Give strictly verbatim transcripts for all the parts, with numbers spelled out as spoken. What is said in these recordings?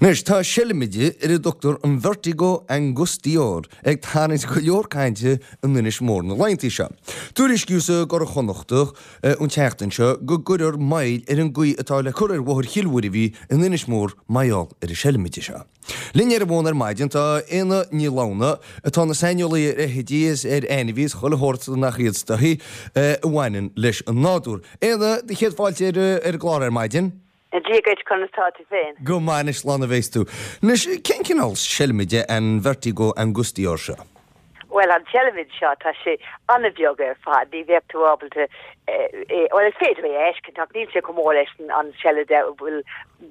Anois tá seilmide ar a dtugtar an Vertigo angustior ag tarraingt go leor cainte in Inis Mór na laethanta seo. Tuairiscíodh sa gCuradh Chonnachtach an tseachtain seo go gcuirfear moill ar an gcaoi atá le cur ar Bhóthar Chill Mhuirbhigh in Inis Mór mar gheall ar an seilmide seo. Linn ar an bhfón ar maidin tá Éanna Ní Lamhna atá ina saineolaí ar fheithidí is ar ainmhithe is chuile shórt nach iad is dóichí a bhaineann leis an nádúr. Éanna, do chéad fáilte ar an gclár ar maidin. Dia duit conas tá tú féin. Go maith anois slán a bheas tú. Anois cén cineál seilmide an Vertigo angustior seo? Well an tseilmid seo tá sé an-bheag ar fad, ní bheadh tú ábalta eh, well is féidir é a fheiscint ach níl sé chomh mór leis an seilide bhfuil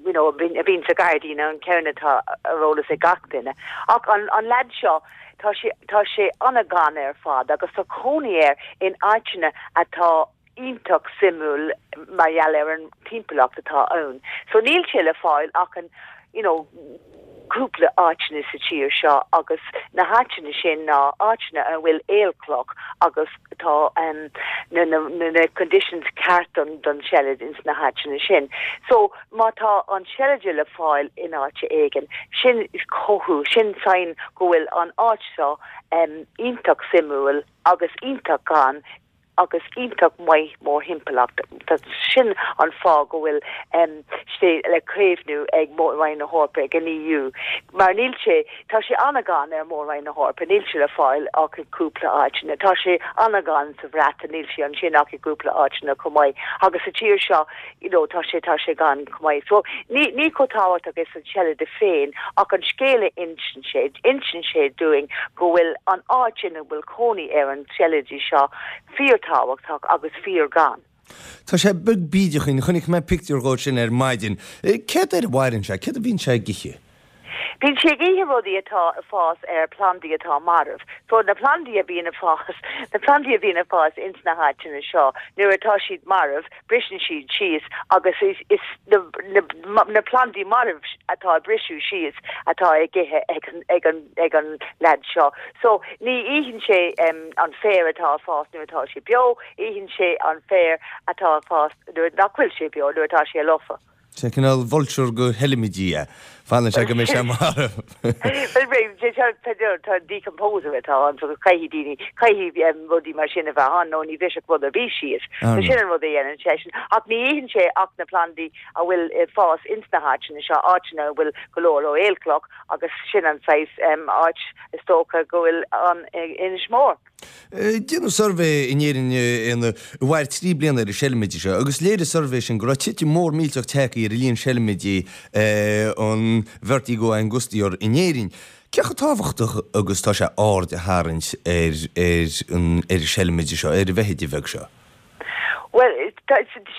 you know, a bhíonn sa ghairdín an ceann atá ar eolas ag gach duine. Ach an, an leaid seo tá sé tá sé an-ghann ar fad agus tá cónaí air in áiteanna atá iontach suimiúil mar gheall ar an timpeallacht atá ann. So níl sé le fáil ach an you know, cúpla áiteanna sa tír seo agus na háiteanna sin ná áiteanna a bhfuil aolchloch agus tá um, na, na, na, na conditions ceart don, don seilid ins na háiteanna sin. So má tá an seilide le fáil in áit éigin, sin is comhartha sin sign go bhfuil an áit seo um, iontach suimiúil agus iontach gann agus iontach maith mórthimpeallacht. Tá sin an fáth go bhfuil um, sé le caomhnú ag Mór-Roinn na hEorpa ag an EU. Mar níl sé tá sé an-ghann ar Mhór-Roinn na hEorpa, níl sé le fáil ach i cúpla áiteanna. Tá sé an-ghann sa Bhreatain níl sé ansin ach i gcúpla áiteanna chomh maith. Agus sa tír seo you know, tá sé tá sé gann chomh maith. So ní ní chomh tábhachtach is an seilide féin ach an scéal a insíonn sé insíonn sé dúinn go bhfuil an áit ina bhfuil cónaí ar an seilide seo fíorthábhachtach agus fíorghann. Tá sé beag bídeach chonaic mé pictiúr dhó sin ar maidin. Céard air a mhaireann sé, céard a bhíonn sé ag ithe? Bíonn sé ag ithe rudaí atá ag fás ar plandaí atá marbh. So na plandaí a bhíonn ag fás na plandaí a bhíonn ag fás ins na háiteanna seo, nuair atá siad marbh, briseann siad síos agus is, is na, na, na plandaí marbh atá briseadh síos atá ag ithe ag, ag, an, ag an leaid seo. So ní itheann sé um, an féar atá ag fás nuair atá sé beo, itheann sé an féar atá ag fás nuair nach bhfuil sé beo nuair atá sé lofa. Sé cineál vulture do sheilmidí é. Fanann sé go mbeidh sé marbh. Tá decomposer atá ann so caithfidh daoine caithfidh rudaí mar sin a bheith ann nó ní bhrisfeadh rud ar bith síos. So sin an rud a dhéanann sé sin ach ní itheann sé ach na plandaí a bhfuil fás ins na háiteanna seo áiteanna a bhfuil go leor ó aolchloch agus sin an saghas áit is dócha go bhfuil an Inis Mór. Déanadh suirbhé in Éirinn ina bhfuair trí bliana ar an seilmide seo, agus léirigh suirbhé sin go raibh titim mór millteach tagtha ar a líon seilmidí an Vertigo angustior in Éirinn. Cé chomh tábhachtach agus tá sé aird a tharraingt ar ar an ar an seilmide seo ar an bhfeithide bheag seo. Well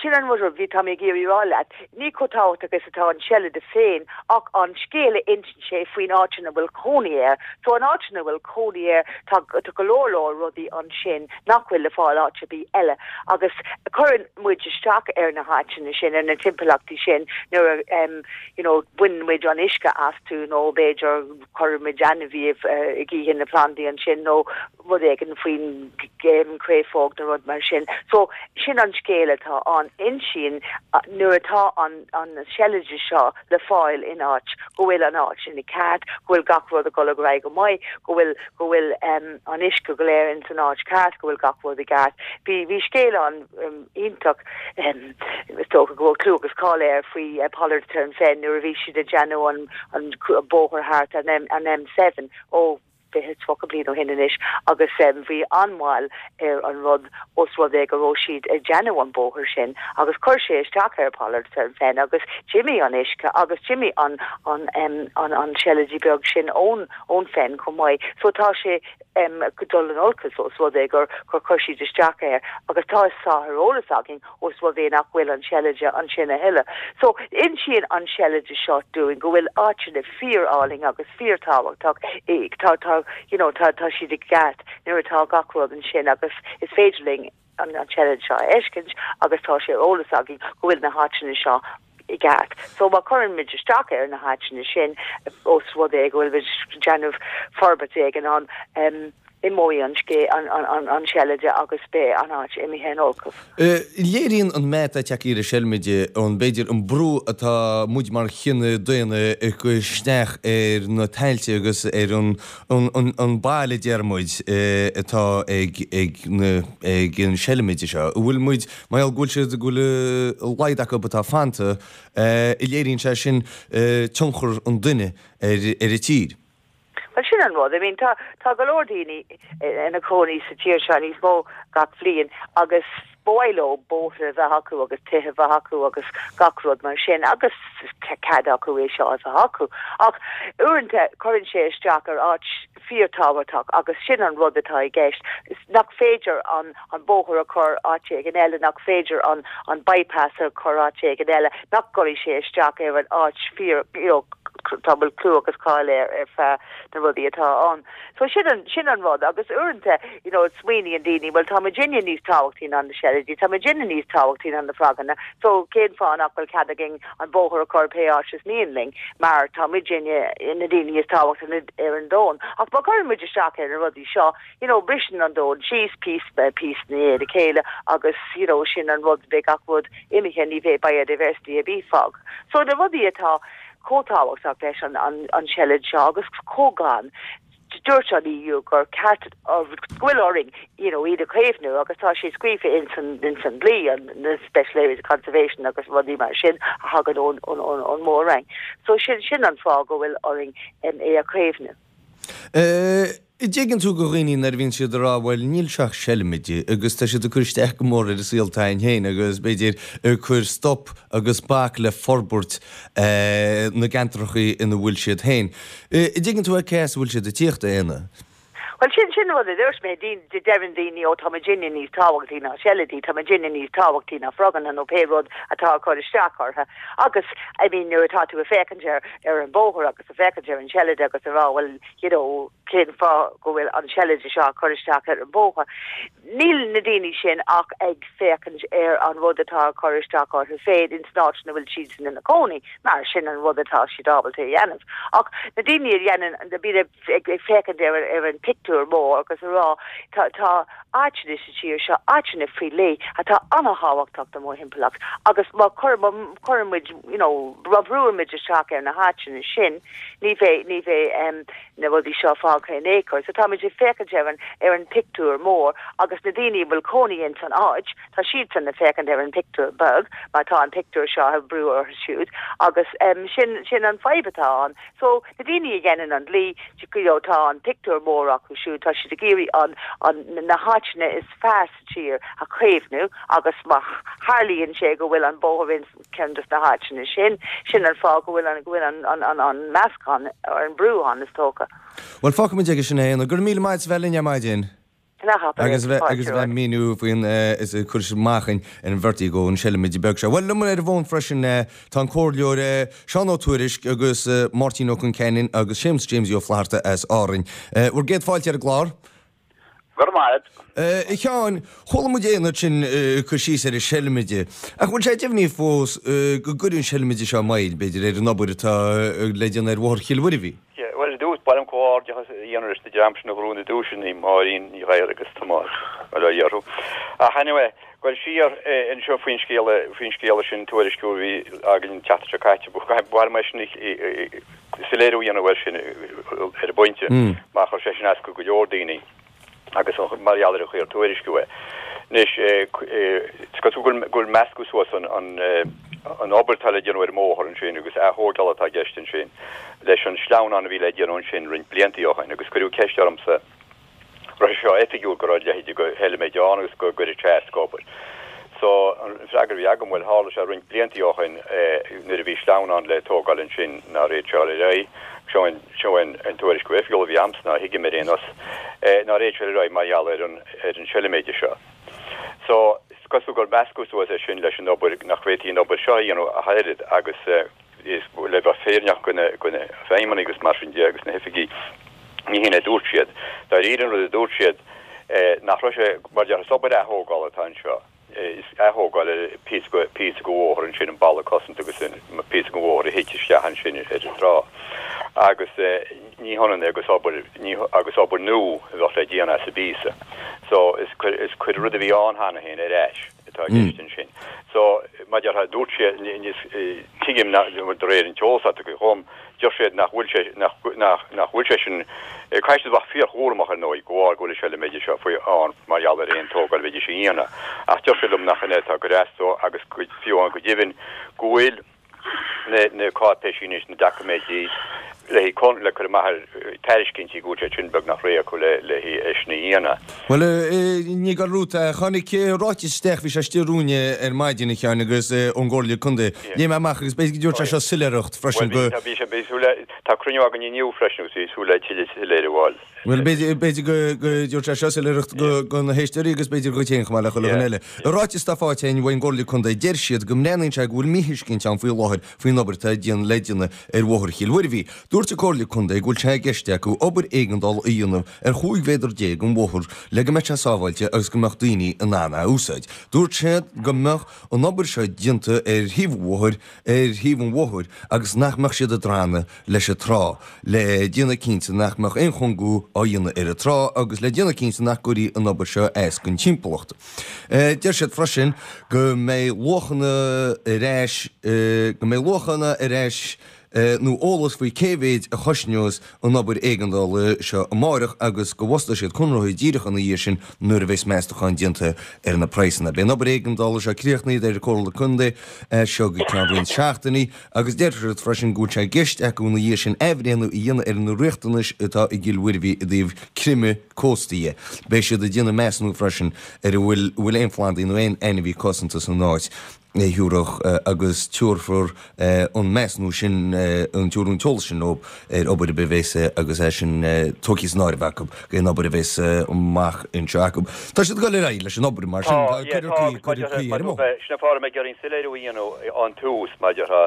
sin an rud bhí tá mé ag iarraidh rá leat, ní chomh tábhachtach is atá an seilide féin ach an scéal a insíonn sé faoin áit ina bhfuil cónaí air, so an áit ina bhfuil cónaí air tá go leor leor rudaí ansin nach bhfuil le fáil áit ar bith eile agus cuireann muid isteach ar na háiteanna sin ar na timpeallachtaí sin nuair um, you know, baineann muid an uisce astu nó b'fhéidir cuireann muid ainmhí ag ithe na plandaí ansin nó rud éigin faoin géim créafóg nó rud mar sin. So sin an scéal atá an insíonn nuair atá an an seilide seo le fáil in áit go bhfuil an áit sin i gceart, go bhfuil gach rud ag dul go maith, go bhfuil go bhfuil um, an uisce go léir in san áit ceart, go bhfuil gach rud i gceart. Bhí bhí scéal an um, iontach um, is dócha go bhfuil clú agus cáil air faoi uh, Pollardstown Fen nuair a bhí siad ag déanamh an an bóthar thart an M an M seven ó fiche tríocha bliain ó shin anois agus um, bhí an-mhoill ar an rud os rud é go raibh siad ag déanamh an bóthar sin agus chuir sé isteach ar Pollardstown Fen agus d'imigh an uisce agus d'imigh an an um, an an seilidí beag sin ón ón fen chomh maith. So tá sé um, dul in olcas os rud é gur gur chuir siad isteach air agus tá sé ar eolas againn os rud é nach bhfuil an seilide ansin a thuilleadh. So insíonn an seilide seo dúinn go bhfuil áiteanna fíorálainn agus fíorthábhachtach tá tá you know, tá tá siad i gceart nuair atá gach rud ansin agus is féidir linn an an seilid seo a fheiscint agus tá sé ar eolas againn go bhfuil na háiteanna seo i gceart. So má chuireann muid isteach ar na háiteanna sin os rud é go bhfuil déanamh forbairt éigin an um, Imeoidh an scé an an an seilide agus beidh an áit imithe in olcas. Léiríonn an meath atá tagtha ar an seilmide an b'fhéidir an brú atá muid mar chine daonna ag cur isteach ar na tailte agus ar an an an baile deir muid atá ag ag na ag an seilmide seo. An bhfuil muid mar gheall go bhfuil siad go bhfuil a laghad acu atá fanta, léiríonn sé sin tionchar an duine ar ar an tír. Well sin an rud, I mean tá tá go leor daoine ina cónaí sa tír seo níos mó gach bliain agus ba mhaith leo bóithre a bheith acu agus tithe a bheith acu agus gach rud mar sin agus cead acu é seo a bheith acu. Ach uaireanta cuireann sé isteach ar áit fíorthábhachtach agus sin an rud atá i gceist nach féidir an an bóthar a chur áit éigin eile nach féidir an an bypass a chur áit éigin eile nach gcuirfidh sé isteach ar an áit fíor you know, tá bhfuil clú agus cáil ar ar feadh na rudaí atá ann. So sin an sin an rud agus uaireanta you know, smaoiníonn daoine well tá muidinne níos tábhachtaí ná na seilidí, tá muidinne níos tábhachtaí ná na froganna, so cén fáth nach bhfuil cead againn an bóthar a chur pé áit is mian linn mar tá muidinne na daoine is tábhachtaí ar an domhan. Ach má chuireann muid isteach ar na rudaí seo, you know, briseann an domhan síos píosa píosa i ndiaidh a chéile agus you know, sin an rud beidh gach rud imithe ní bheidh biodiversity a bheith fágtha. So na rudaí atá chomh tábhachtach leis an, an, an seilid seo agus chomh glan. Dúirt an EU gur ceart go bhfuil orainn you know, iad a chaomhnú agus tá sé scríofa in san in san dlí an na Special Areas of Conservation agus rudaí mar sin a thagann ón ón ón ón Mór-Roinn. So sin sin an fáth go bhfuil orainn um, é a chaomhnú. Uh, Dtuigeann tú go dhaoine nuair a bhíonn siad ag rá bhuel níl sé ach seilmide agus tá siad ag cur isteach go mór ar an saol atá againn féin agus b'fhéidir ag cur stop agus bac le forbairt na gceantracha ina bhfuil siad féin. Dtuigeann tú cé as a bhfuil siad ag tíocht a Éanna? Well sin sin rud a dúirt mé de deireann daoine ó tá muidinne níos tábhachtaí ná seilidí, tá muidinne níos tábhachtaí ná froganna nó pé rud atá chur isteach orthu. Agus I mean nuair atá tú ag féachaint ar ar an bóthar agus ag féachaint ar an seilid agus a rá well you know cén fáth go bhfuil an seilid seo chur isteach ar an bóthar. Níl na daoine sin ach ag féachaint ar an rud atá chur isteach orthu féin in san áit ina bhfuil siad sin ina cónaí, mar sin an rud atá siad ábalta a dhéanamh. Ach na daoine a dhéanann a bhí ag féachaint ar ar an pictiúr mór agus a rá tá tá áiteanna sa tír seo áiteanna faoi leith atá an-tábhachtach do mhórthimpeallacht agus má chur chuireann muid you know brúimid isteach ar na háiteanna sin ní bheidh ní bheidh um, na rudaí seo fágtha in aon chor. So táimid ag féachaint ar an ar an pictiúr mór agus na daoine bhfuil cónaí in san áit tá siad san ag féachaint ar an pictiúr beag mar tá an pictiúr seo ag brú orthu siúd agus um, sin sin an fadhb atá ann. So na daoine a dhéanann an dlí you tá an pictiúr mór acu siúd tá siad ag iarraidh an an na háiteanna is fearr sa tír a chaomhnú agus má tharlaíonn sé go bhfuil an bóthar in ceann de na háiteanna sin sin an fáth go bhfuil an go bhfuil an an an an meascán ar an brú ann is dócha. Well fágfaimid aige sin é gur míle maith bheith linn ar maidin. Agus bheith agus bheith míniú faoin is cur amach ar an Vertigo an seilmide beag seo. Well liom ar an bhfón freisin tá an comhairleoir Seán Ó Tuairisg agus Máirtín Ó Concheanainn agus Séamus James Ó Flatharta as Árainn. Bhur gcéad fáilte ar an gclár? Gur maith. A Sheáin, chuala muid Éanna ansin cur síos ar an seilmide. Ach bhfuil sé deimhnithe fós go gcuireann an seilmide seo moill, b'fhéidir, ar an obair atá le déanamh ar Bhóthar Chill Mhuirbhigh? Bhuel, i dtús, ba mhaith liom comhghairdeachas a dhéanamh leis na dream sin a ghnóthaigh na duaiseanna, Máirín Ní Ghadhra agus Tomás, bail ó Dhia orthu. Ach anyway, goil siar anseo faoin scéala, faoin scéala sin, tuairisciú a bhí againn an tseachtain seo caite, ba mhaith liom é sin soiléiriú a dhéanamh air sin ar an bpointe, mar chuir sé sin as go leor daoine agus mar gheall ar an chaoi ar tuairisciú é. Anois, is cosúil go bhfuil meascadh suas an an obair atá le déanamh ar an mbóthar ansin agus ath-thógáil atá i gceist ansin leis an sleamhnán a bhí le déanamh ansin roinnt blianta ó shin agus cuireadh ceist ormsa raibh sé seo oifigiúil go raibh a leithéid de sheilméid ann agus go gcuirfeadh sé as don obair. So an freagra a bhí agam, bhuel tharla sé roinnt blianta ó shin nuair a bhí sleamhnán le tógáil ansin nár fhéad sé a dhul ar aghaidh, seo an seo an an tuairisciú oifigiúil a bhí a'msa, a thuigim ar aon nós, nár fhéad sé a dhul ar aghaidh mar gheall ar an ar an seilméid seo. So, is cosúil gur meascadh suas é sin leis an obair, nach bhféadfaí an obair seo a dhéanamh ach oiread agus is le bheith fírinneach do na do na feidhmeannaigh agus mar sin de agus na hoifigigh, ní hin a dúirt siad. Dáiríre an rud a dúirt siad nach raibh sé, mar a déarfá, is obair ath-thógála atá anseo, is ath-thógáil ar phíosa de phíosa de bhóthar ansin, an balla cosanta agus an píosa de bhóthar a thit isteach ansin ar an trá. Agus ní hionann é agus obair ní agus obair nua a bheadh le déanamh sa bpíosa. So is is cuir rud a bhí ann cheana féin ar ais atá i gceist ansin. So mar a déarfá dúirt sé tuigim de réir an t-eolas atá agam deir siad nach bhfuil sé nach nach nach bhfuil sé sin caithfidh siad bheith fíorchúramach ar ndóigh go bhfuil go bhfuil seilméide seo faoi ann mar gheall ar aon tógáil a bheidís a dhéanamh. Ach deir siad liom nach in é atá go deimhin agus fiú an go deimhin go bhfuil na na cáipéisí anois na doiciméidí le con le cur amach ar tairiscintí go bhfuil sé sin beagnach réidh acu le le é sin a dhéanamh. Bhuel ní go rút tháinig ráiteas isteach bhí sé istigh romhainne ar maidin a Sheáin agus ón gComhairle Contae. Léigh mé amach agus b'fhéidir go dtabharfaidh sé seo soiléireacht freisin go. Bhí sé bhí súil le tá cruinniú againn inniu freisin agus bhí súil le tuilleadh soiléiriú a fháil. Bhuel b'fhéidir b'fhéidir go go dtabharfaidh sé seo soiléireacht go go na héisteoirí agus b'fhéidir dhuit féin chomh maith le chuile dhuine eile. I ráiteas atá faighte againn ón gComhairle Contae deir siad go mbreathnaíonn sé go bhfuil míthuiscint ann faoi láthair faoin obair atá déan le déanamh ar Bhóthar Chill Mhuirbhigh. Dúirt an Comhairle Contae go bhfuil sé i gceist acu obair éigeandála a dhéanamh ar chúig mhéadar déag den bhóthar le go mbeadh sé sábháilte agus go mbeadh daoine in ann é a úsáid. Dúirt siad go mbeadh an obair seo déanta ar thaobh an bhóthair ar thaobh an bhóthair agus nach mbeadh siad ag drannadh leis an trá le déanamh cinnte nach mbeadh aon chúngú á dhéanamh ar an trá agus le déanamh cinnte nach gcuirfí an obair seo as don timpeallacht. Deir siad freisin go mbeidh luachanna ar ais go mbeidh luachanna ar ais nó eolas faoi cé mhéid a chosnós an obair éigeandála seo amárach agus go bhfostóidh siad conraitheoir díreach ina dhiaidh sin nuair a bheas meastachán déanta ar na praghsanna. Beidh an obair éigeandála seo críochnaithe deir an Comhairle Contae as seo go ceann roinnt seachtainí agus deir siad freisin go bhfuil sé i gceist acu ina dhiaidh sin athbhreithniú a dhéanamh ar na riachtanais atá i gCill Mhuirbhigh i dtaobh creimeadh cósta dhe. Beidh siad ag déanamh measúnú freisin ar an bhfuil bhfuil aon phlandaí nó aon ainmhí cosanta san áit a thiúrfadh agus tabharfar an measúnú sin, an tabharfar an t-eolas sin leo ar obair ar bith a bheas agus é sin tógtha san áireamh acu aon obair a bheas amach anseo acu. Tá siad ag dul ar aghaidh leis an obair mar sin, Tá, yeah, tá, agus maidir le, maidir le, sin an fáth a raibh mé ag iarraidh an soiléiriú a dhéanamh ón tús maidir le,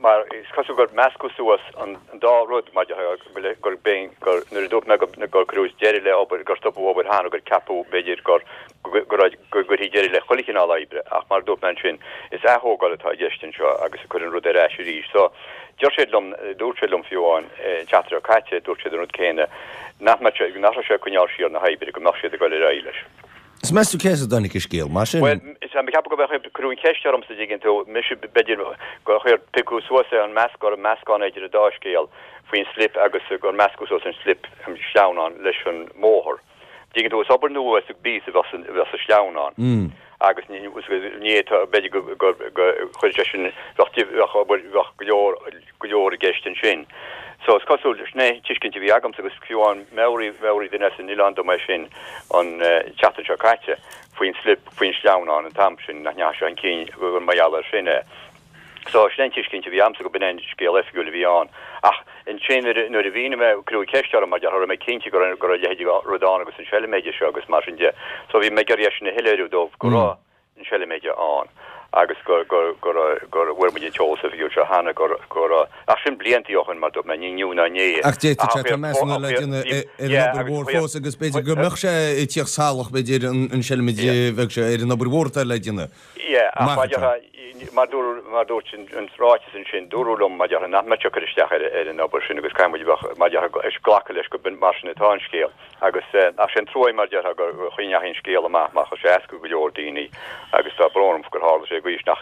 mar is cosúil gur meascadh suas an dá rud maidir le, gur, gur, gur, nuair a dúirt mé gur cuireadh deireadh le obair, gur stopadh obair cheana, gur ceapadh b'fhéidir gur go raibh go gcuirfí deireadh le chuile chineál oibre, ach mar a dúirt mé ansin, is aththógáil atá i gceist anseo agus ag cur an rud ar ais arís. So, deir siad liom, dúirt siad liom fiú amháin an tseachtain seo caite, dúirt siad an rud céanna, nach mbeadh sé, nach raibh sé ag coinneáil siar na hoibre, go mbeadh siad ag dul ar aghaidh leis. Is meas tú cé as a dtáinig an scéal, mar sin? Bhuel, is ea, ceapaim go mbeadh, cuireadh an cheist ormsa, an dtuigeann tú, mise, b'fhéidir gur chuir, piocadh suas é an measc, gur meascán é idir an dá scéal faoin slip agus gur meascadh suas an slip, an sleamhnán leis an mbóthar. Dtuigeann tú, is obair nua sa bpíosa a bheadh sa sleamhnán agus ní fhéadfá, b'fhéidir go chuir sé sin, bheadh obair, bheadh go leor, go leor i gceist ansin. So is cosúil, sin é an tuiscint a bhí agamsa agus fiú amháin mheabhraigh, mheabhraigh duine as an oileán dom é sin an tseachtain seo caite faoin slip, faoin sleamhnán an t-am sin, nach ndeachaigh sé chun cinn gur mar gheall air sin é. So, sin é an tuiscint a bhí a'msa go b'in é an scéal oifigiúil a bhí ann. Ach ansin nuair nuair a mhínigh mé, cuireadh ceist orm mar an raibh mé cinnte go raibh go raibh a leithéid de rud ann agus an seiliméide seo agus mar sin de. So bhí mé ag iarraidh é sin a shoiléiriú dóibh go raibh an seiliméide ann agus go go go raibh go bhfuair muid an t-eolas oifigiúil seo cheana go go raibh ach sin bliantaí ó shin mar dúirt mé, ní inniu ná inné. Ach d'fhéadfadh sé, tá measúnú le déanamh ar an obair mhór fós agus b'fhéidir go mbeadh sé ag tíocht salach b'fhéidir an seiliméide bheadh sé ar an obair mhór atá le déanamh. Yeah, ach mar mar mar dúirt an ráiteas ansin, dúradh liom mar nach mbeadh sé ag cur isteach ar ar an obair sin agus caithfidh muid a bheith mar ag glacadh leis go mar sin atá an scéal. Agus ach sin trua mar déarfá gur chaoi ndeachaigh an scéal amach mar chuir sé as go go leor daoine agus tá brón orm gur tharla sé go nach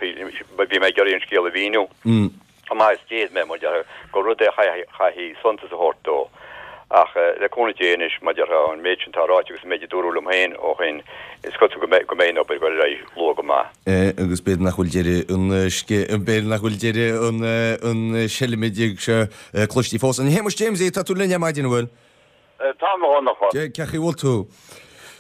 bhí mé ag iarraidh an scéal a mhíniú. Chomh maith is d'fhéad mé, mar déarfá, gur rud é a chaithfidh suntas a thabhairt dó. Ach le cúnamh Dé anois, mar déarfá, an méid sin atá ráite agus an méid a dúradh liom féin ó shin, is cosúil go mbeidh go mbeidh an obair ag dul ar aghaidh luath go maith. Agus b'fhéidir nach bhfuil deireadh an b'fhéidir nach bhfuil deireadh an an seilmide seo cloiste fós. A Shéamuis Jamesie, tá tú linn ar maidin, an bhfuil? Tá a Dhonncha. Cén chaoi a bhfuil tú?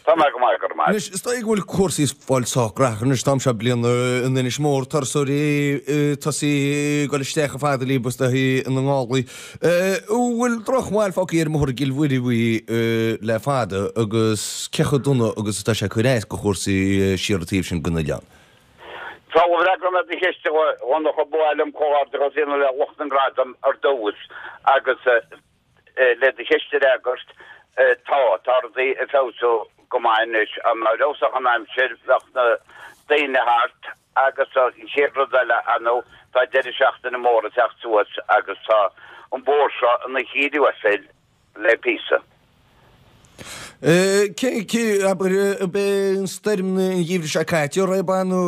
Tá mé go maith, go raibh maith. Anois, is dóigh go bhfuil cúrsaí ag fáil sách gnaitheach anois, an t-am seo bliana in Inis Mór, turasóirí ag tosaí ag dul isteach chomh fada líofa is dóichí ina ngálaí. An bhfuil drochbhail fágtha ar an mbóthar i gCill Mhuirbhigh le fada agus cé chomh dona agus atá sé ag cur as do chúrsaí siar an taobh sin den oileán? Sula bhfreagróidh mé do cheist, a Dhonncha, ba mhaith liom comhghairdeachas a dhéanamh le lucht na ngradam ar dtús agus Le do cheist a fhreagairt, tá, tá rudaí ag feabhsú go maith anois. Dá mba fheabhsach an aimsir, bheadh na daoine thart agus an chéad rud eile, ar ndóigh, tá deireadh seachtaine mór ag teacht suas agus tá an bóthar seo ina chíor uasail le píosa. Cé, cé, abair, ab é an stoirm an gheimhridh seo caite a raibh ann nó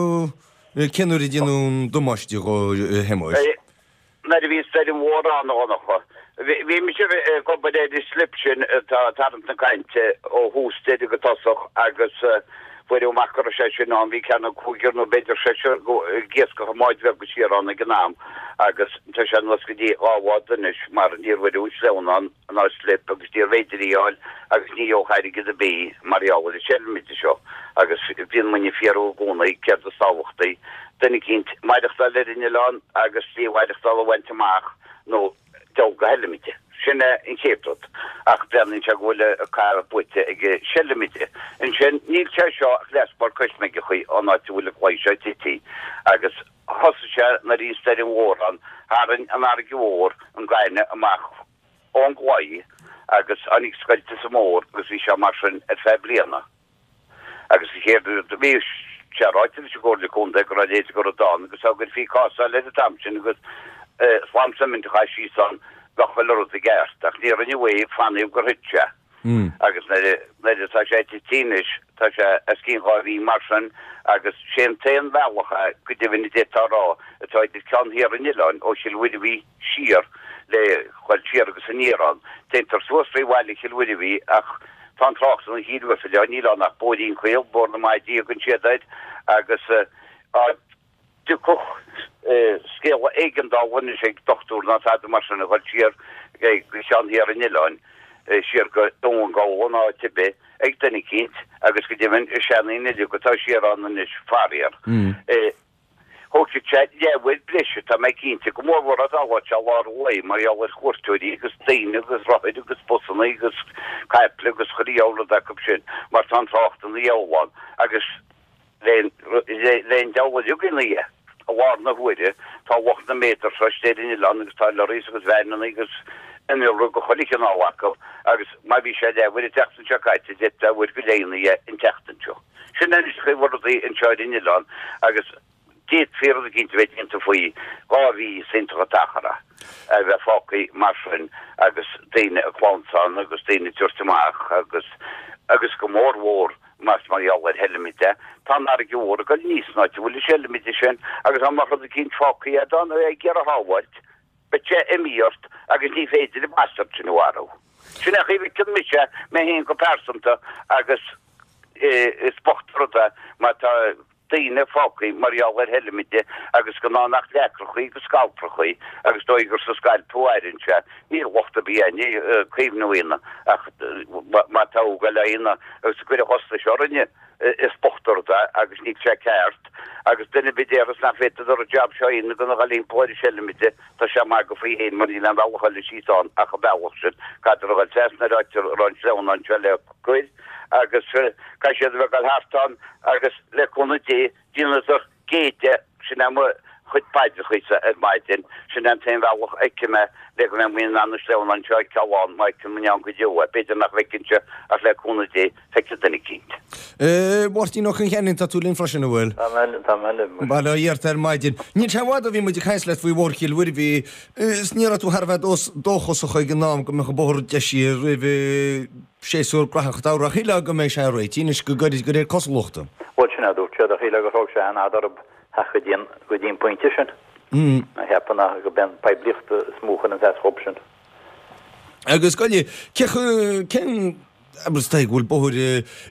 cén uair a deineadh an damáiste dhó, a Shéamuis? Nuair a bhí stoirm mhór ann, a Dhonncha. Bhí mise ag obair ar an slip sin atá ag tarraingt na cainte ó thús deireadh go tosach agus fuaireadh amach go raibh sé sin ann, bhí ceann cúigear nó b'fhéidir seisear ag iascach i mbáid bheag siar ann ag an am agus tá sé anuas go dtí dhá bhád anois mar níor bhaineadh an sleamhnán ná slip agus níorbh fhéidir í a fháil agus ní gheobhadh airgead ar bith mar gheall ar an seilmide seo agus bíonn muidne ag fiafraí i gcónaí céard is tábhachtaí duine eicínt maireachtáil ar an oileán agus slí mhaireachtála a bhaint amach nó dul go heilmide. Sin é an chéad rud. Ach breathnaíonn sé go bhfuil an cath buaite ag an seilmide. Ansin, níl sé seo ach leathsplor cois meigeachaí ón áit a bhfuil an claí seo tití. Agus thosaigh sé nuair a bhí an stoirm mhór ann, tharraing an fharraige mhór an gaineamh amach ón gclaí agus tháinig scoilt sa mbóthar agus bhí sé mar sin ar feadh bliana. Agus an chéad rud a bhí sé ráite leis an gComhairle Contae go raibh a leithéid de rud ann agus dá gcuirfí cásáil air an t-am sin agus slám suimint a chaitheamh síos ann bheadh chuile rud i gceart. Ach ní rinneadh é, fanaíodh gur thit sé. Agus nuair nuair atá sé tite anois tá sé os cionn dhá mhí mar sin agus sé an t-aon bhealach é go deimhin a d'fhéadfá a rá atá idir ceann thiar an oileáin ó Chill Mhuirbhigh siar le dhul siar agus aniar ann. Téantar suas trí bhaile Chill Mhuirbhigh ach tá an trácht ina chíor uasail, níl ann ach bóithrín caol, Bóthar na Maidí a thugann siad air, agus dá dtiocfadh scéala éigeandála anois ag dochtúir ná tada mar sin a dhul siar go ceann thiar an oileáin, siar go Dún Gabhla nó áit ar bith, ag duine eicínt, agus go deimhin is seandaoine uilig atá siar ann anois, faraor. Thógfadh sé leathuair breise, tá mé cinnte, go mórmhór dá dtarlódh sé lár an lae mar gheall ar chuairteoirí agus daoine agus rothair agus busanna agus caiple agus chuile dhiabhal rud acu sin mar tá an trácht ina dhiabhal ann agus le an diabhal uilig ina dhiaidh. I lár na huaire tá lucht na méadar seo istigh ar an oileán agus tá lorries agus veaineanna agus innealra de chuile chineál acu agus má bhí sé leathuair an tseachtain seo caite d'fhéadfadh uair go leith ina dhiaidh an tseachtain seo. Sin anois an chaoi a bhfuil rudaí anseo ar an oileán agus D'fhéadfaí rud eicínt a bheith déanta faoi dhá mhí is iontach an t-achar é a bheith fágtha mar sin agus daoine ag clamhsán agus daoine ag tabhairt amach agus agus go mór mhór más mar gheall ar sheilmid é. Tá an fharraige mhór ag dul aníos san áit a bhfuil an seilmide sin agus dá mbeadh rud eicínt fágtha agat ann ag iarraidh a shábháilt, beidh sé imithe ort agus ní féidir an bastard sin a mharú. Sin é an chaoi a bhfeiceann mise mé féin go pearsanta agus is bocht an rud é má tá daoine fágtha mar gheall ar sheilmide agus gan ann ach leacrachaí agus scailpreachaí agus dóigh gur sa scailp a mhaireann sé. Níl locht ar bith againne caomhnú a dhéanamh ach má tá uaidh le dhéanamh agus ag cur an chostais orainne is bocht an rud é agus níl sé ceart agus duine ar bith a déarfas nach bhféadfadar an jab seo a dhéanamh gan a dhul thimpeall ar an seilmide tá sé ag magadh faoi fhéin mar níl aon bhealach eile síos ann ach an bealach sin caithfear a dhul trasna ar áit a raibh an sleamhnán seo le cur agus caithfidh siad a bheith ag dul thart ann agus le cúnamh Dé déanadar géide, sin é mo chuid paidreachaísa ar maidin, sin é an t-aon bhealach a fheicim é le go mbeidh muid in ann an sleamhnán seo a fheiceáil ann, má fheiceann muid ann go deo é, b'fhéidir nach bhfeicfinnse ach le cúnamh Dé feicfidh duine eicínt. Máirtín Ó Concheanainn, tá tú linn freisin, an bhfuil? Tá mé, tá mé libh. Bail ó Dhia ort ar maidin. Níl sé i bhfad ó bhí muid ag caint leat faoi Bhóthar Chill Mhuirbhigh is ní raibh tú thar a bheith dóchasach ag an am go mbeadh an bóthar deisithe roimh séasúr graitheach an tsamhraidh. Shílfeá go mbeidh sé réitithe anois go gairid de réir cosúlachta. Bhuel, sin é a dúirt siad, ach shílfeá gur thóg sé an-fhada orthu theacht go dtí an, go dtí an pointe sin. Mé cheapadh nach go b'é an poiblíocht is mó a chuireanns as dhób sin. Agus goile, cé chu, cén, abair is dóigh go bhfuil bóthar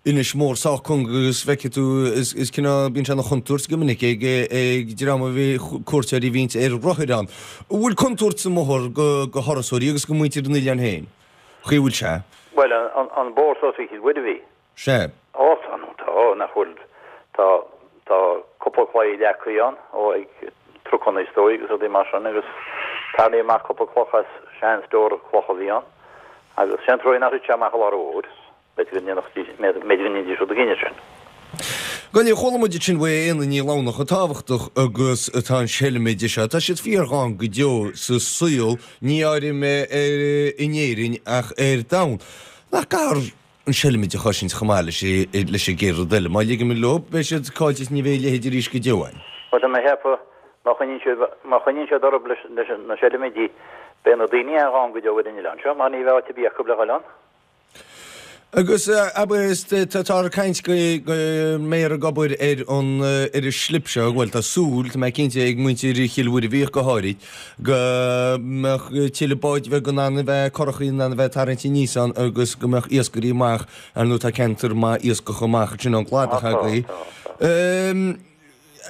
Inis Mór sách cúng agus feicfidh tú, is, is cineál, bíonn sé ina chontúirt go minic ag, ag dream a bhí, cuairteoirí a bhíonns ar rothair ann. An bhfuil contúirt sa mbóthar go, go thurasóirí agus go muintir an oileáin féin? Chaoi a bhfuil sé. Bhuel, an, an bóthar suas go Cill Mhuirbhigh. Sea. Ó, tá, nó tá, nach bhfuil, tá, tá cúpla claí leagtha ann, ó, ag trucanna is dóigh agus rudaí mar sin agus tarraingíodh amach cúpla cloch as sean-stór cloch a bhí ann agus sé an truaighe nár thit sé amach i lár an bhóthair, b'fhéidir go ndéanfaidís, b'fhéidir go ndéanfaidís rud éigin air sin. Go deimhin, chuala muid ansin uaidh Éanna Ní Lamhna chomh tábhachtach agus atá an seilmide seo. Tá siad fíor-ghann go deo sa saol, ní áirím ar in Éirinn ach ar domhan. Nach gcaithfear an seilmide a chosaint chomh maith leis leis an gcéad rud eile. Má ligimid leo, beidh siad caillte is ní bheidh a leithéid arís go deo againn. Bhuel, tá mé ag ceapadh, má choinníonn siad, má choinníonn siad orthu leis, leis na seilmidí, Beidh na daoine an-ghann go deo ar an oileán seo mar ní bheidh áit ar bith acu le dhul ann. Agus abair táthar ag caint go mbeifear ag obair ar an ar an slip seo, bhuel tá súil, tá mé cinnte, ag muintir Chill Mhuirbhigh ach go háirid, go mbeadh tuilleadh báid bheag in ann a bheith, curachaí in ann a bheith tarraingthe aníos ann agus go mbeadh iascairí amach, ar ndóigh tá ceantar maith iascach amach ansin ón gcladach agaibh.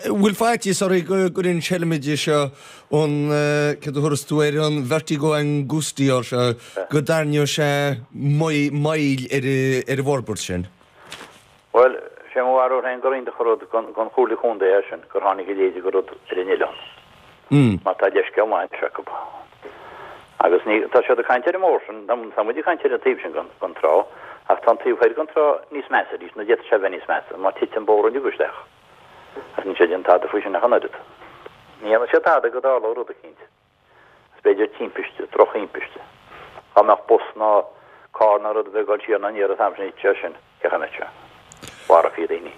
Bhfuil faitíos oraibh go gcuireann an seilmide seo an, céard a thabharfas tú air, an vertigo angustior seo, go dtarraingeoidh sé moill ar an bhforbairt sin? Bhuel, sé mo bharúil féin gur iontach an rud don Chomhairle Chontae é sin, gur tháinig a leithéid de rud ar an oileán. Mar tá leithscéal maith anois acu. Agus ní, tá siad ag caint ar an mbóthar sin, tá muid ag caint ar an taobh sin den trá, ach tá an taobh thoir den trá níos measa arís, nó d'fhéadfadh sé a bheith níos measa, má thit an bóthar uilig isteach. Ach níl siad ag déanamh tada faoi sin ach an oiread. Ní dhéanfaidh siad tada go dtarlódh rud eicínt. Is b'fhéidir timpiste, drochthimpiste. Dá mbeadh bus ná carr ná rud ar bith ag dul siar ná aniar an t-am sin, thitfeadh sé sin, cén chaoi a mbeadh sé? Mharófaí daoine.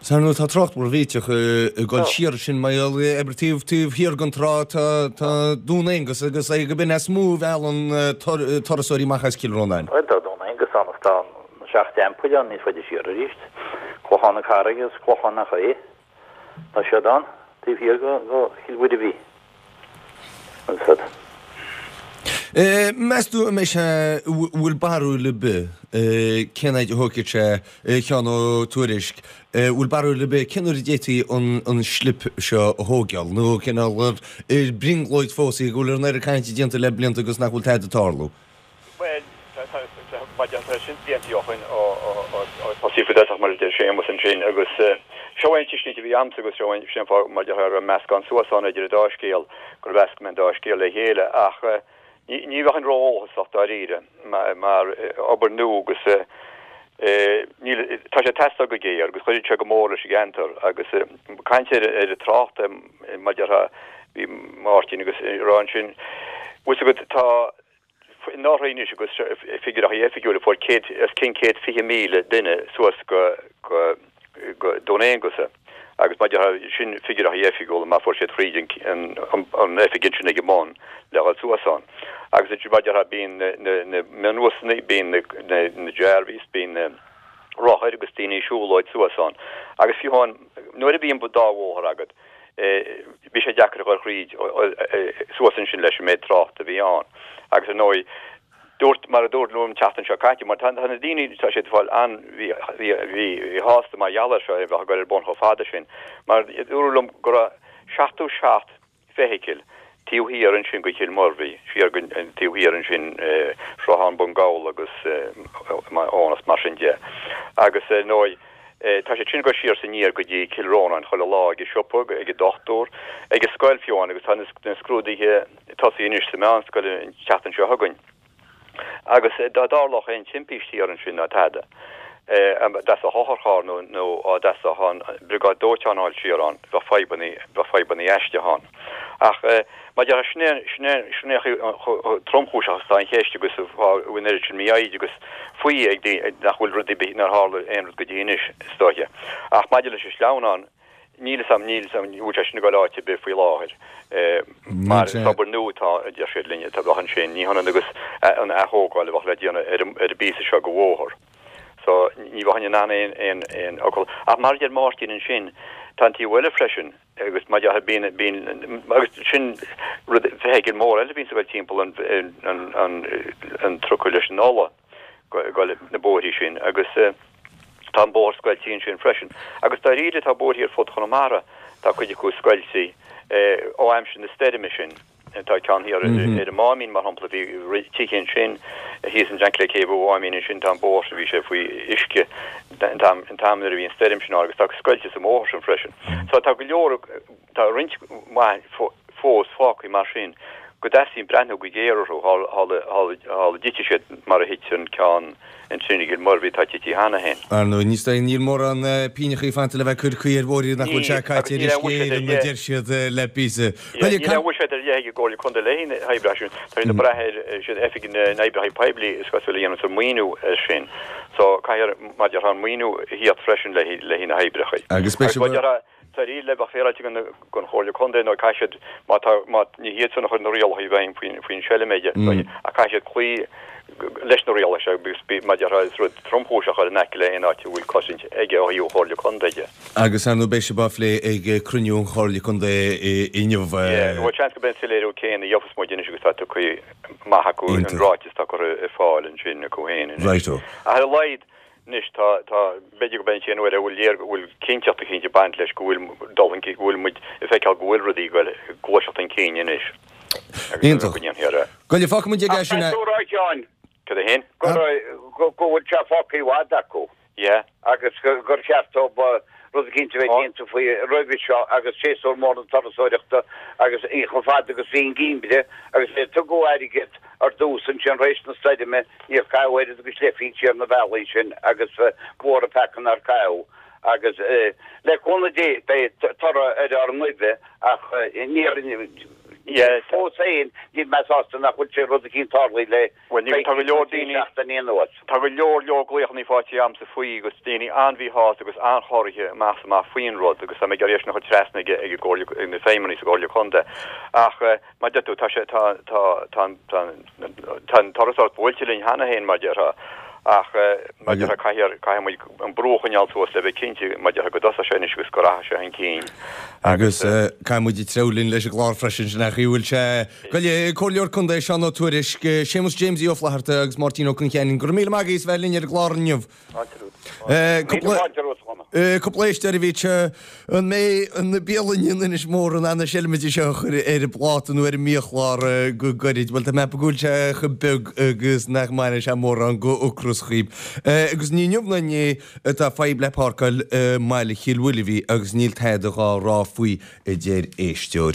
Is ar ndóigh tá trácht mór millteach ag dul siar sin mar gheall abair taobh taobh thiar den trá tá tá Dún Aonghasa agus é gurb in is mó a mheallann turasóirí amach as Cill Rónáin. Bhuel tá Dún Aonghasa ann is tá na seacht dteampaill ann níos faide siar arís. Clochán na Carraige agus Clochán na Caoi. Tá siad ann taobh thiar de Chill Mhuirbhigh. Agus. Meas tú an mbeidh sé, bhfuil barúil ar bith cén fhaid a thógfaidh sé, a Sheáin Ó Tuairisg, bhfuil barúil ar bith cén uair a d'fhéadfaí an slip seo a thógáil nó cineál ar brionglóid fós í go bhfuil an oiread cainte déanta le blianta agus nach bhfuil tada ag tarlú? Bhuel, tá tá sin blianta ó shin ó tosaíodh faoi dtosach mar a deir Séamus ansin agus seo é an tuiscint a bhí a'msa agus seo é an fáth mar a déarfá go raibh meascán suas ann idir an dá scéal, gur mheasc mé an dá scéal le chéile ach ní bheinn ró-dhóchasach dáiríre mar obair nua agus níl, tá sé ag teastáil go géar agus chuirfeadh sé go mór leis an gceantar agus caint ar an trácht mar a déarfá bhí Máirtín agus ag rá ansin, bhfuil 's agat tá anuraidh anois agus figiúireacha oifigiúla fuair céad os cionn céad fiche míle duine suas go go go Dún Aonghasa agus mar a déarfá sin figiúireacha oifigiúla mar fuair siad fríd an an an oifig ansin ag an mbun le dhul suas ann agus ansin mar a déarfá bíonn na na na mionbhusanna bíonn na na na Jarveys bíonn na rothair agus daoine ag siúlóid suas ann agus fiú amháin nuair a bhíonn dá bhóthar agat bhí sé deacair a dhul thríd suas ansin leis an méid tráchta a bhí ann. Agus ar ndóigh, dúirt, mar a dúradh liom an tseachtain seo caite, mar tá na daoine, tá siad ag fáil an-mhíshásta mar gheall air seo, a bheith ag dul ar bun chomh fada sin, mar dúradh liom go raibh seachtó seacht feithicil taobh thiar ansin go Cill Mhuirbhigh, siar go taobh thiar ansin Sruthán Bun Gabhla agus Eonas mar sin de. Agus ar ndóigh, tá siad sin ag dul siar is aniar go dtí Cill Rónáin chuile lá ag an siopa, ag an dochtúir, ag an scoil fiú amháin agus tá na scrúduithe tosaithe anois sa mheánscoil an tseachtain seo chugainn. Agus dá dtarlódh aon timpiste thiar ansin ná tada, dá dteastódh otharcharr nó nó dá dteastódh an briogáid dóiteáin a fháil siar ann, bheadh fadhbanna, bheadh fadhbanna aisteacha ann. Ach mar a déarfá, sin é, sin é, sin é chomh tromchúiseach is atá an cheist agus an fáth a bhfuil an oiread sin mífhoighid agus faoi ag daoine nach bhfuil rud ar bith, nár tharla aon rud go dtí anois, is dóiche. Ach maidir leis an sleamhnán, Níl 'fhios a'm, níl 'fhios a'm, an bhfuil sé sin ag dul áit ar bith faoi láthair mar is obair nua atá, a deir siad linn, atá bheadh ansin, ní hionann agus an athógáil a bheadh le déanamh ar an bpíosa seo de bhóthar. So ní bheinn in ann aon, aon, aon fhocal. Ach mar a deir Máirtín ansin, tá an taobh eile freisin agus mar a déarfá bíonn, bíonn, agus sin rud, feithicil mór eile a bhíonns ag dul timpeall an, an, an, an trucail leis an ola ag dul na bóithrí sin agus, Tá an bóthar scoilte ansin freisin. Agus dáiríre tá bóithrí ar fud Chonamara, tá cuid acu scoilte ó aimsir na stoirme sin. Tá ceann thiar ar an Máimín, mar shampla, bhí tithe ansin, thíos ansin le céibh an Mháimín ansin, tá an bóthar sin, bhí sé faoi uisce an t-am nuair a bhí an stoirm sin ann agus tá scoilte sa mbóthar sin freisin. So tá go leor, tá roinnt mhaith fós fágtha mar sin go dteastaíonn breathnú go géar orthu shula dtitfidh siad mar a thit an ceann ansin i gCill Mhuirbhigh atá tite cheana féin. Ar ndóigh, níos dóigh, níl mórán pínneachaí fanta le bheith curtha ar bhóithrí nach bhfuil sé caite ar uisce Éireann, a deir siad le píosa. Níl aon bhuiséad ar leith ag an gComhairle Contae le haghaidh na hoibreacha sin. Tá siad ag brath ar siad Oifig na nOibreacha Poiblí is cosúil a dhéananns an maoiniú air sin. So caithfear, mar a déarfá, an maoiniú a thíocht freisin le haghaidh na hoibreacha. Agus beidh sé. Dáiríre bheadh féaráilte don don Chomhairle Contae nó caithfidh siad má tá má ní hiad san a chuir na rialacha i bhfeidhm faoin faoin seilméide ach caithfidh siad cloí leis na rialacha seo agus bí mar déarfá is rud tromchúiseach ar in aice le aon áit a bhfuil cosaint aige ó thaobh an Chomhairle Contae de. Agus ar ndóigh beidh sé á phlé ag cruinniú an Chomhairle Contae inniu. Yeah, bhuel seans go mbeidh an soiléiriú céanna a gheofas muid anois agus tá tugtha amach acu an ráiteas atá curtha ar fáil ansin acu féin anois. Righto. Ach ar a laghad anois tá tá b'fhéidir go mbeidh an t-aon uair a bhfuil léir go bhfuil cinnteacht eicínt ag baint leis go bhfuil dul chun cinn go bhfuil muid ag feiceáil go bhfuil rudaí ag goil ag gluaiseacht chun cinn anois agus Iontach. go ndéanfaí ar a Goile fágfaidh muid aige Ach sin tá tú a rá Sheáin Cad é féin? go go go bhfuil sé fágtha i bhfad acu. Yeah. agus gur cheart dóibh rud eicínt a bheith déanta faoi roimhe seo agus séasúr mór na turasóireachta agus í chomh fada agus bhí an geimhreadh agus é tugadh airgead ar dtús ansin tar éis na stoirme níor caitheadh oiread agus leathphingin ar na bealaí sin agus mhór an peaca nár caitheadh agus le cúnamh Dé beidh toradh ar ár ngoimh ach níor fós féin níl mé sásta nach bhfuil sé rud eicínt tarlaithe le Bhuel, ní tá go leor daoine seachtain anuas. Tá go leor leor glaochanna faighte agamsa faoi agus daoine an-mhíshásta agus an-chorraithe amach is amach faoin rud agus tá mé ag iarraidh é sin a chur trasna ag ag gComhairle ag na feidhmeannaigh sa gComhairle Contae. Ach mar deir tú tá sé tá tá tá tá tá an turasóireacht buailte linn cheana féin mar déarfá ach mar déarfá caithfidh caithfidh muid an brú a choinneáil suas le bheith cinnte mar déarfá go dtosóidh sé anois agus go rachaidh sé chun cinn. Agus caithfidh muid treabhadh linn leis an gclár freisin sin ach bhfuil sé Goile Comhairleoir Contae Seán Ó Tuairisg, Séamus James Ó Flatharta agus Máirtín Ó Concheanainn, go raibh míle maith agaibh as bheith linn ar an gclár inniu. Cúpla éisteoir a bhí an mbeidh an bialann in Inis Mór in ann na seilmide seo a chur ar an bpláta nó ar an mbiachlár go gairid, Bhuel tá mé go bhfuil sé chomh beag agus nach mbaineann sé mórán go ocras dhaoib. Agus ní inniu ná inné atá fadhb le páirceáil i mbaile Chill Mhuilbhí agus níl tada dhá rá faoi a deir éisteoir.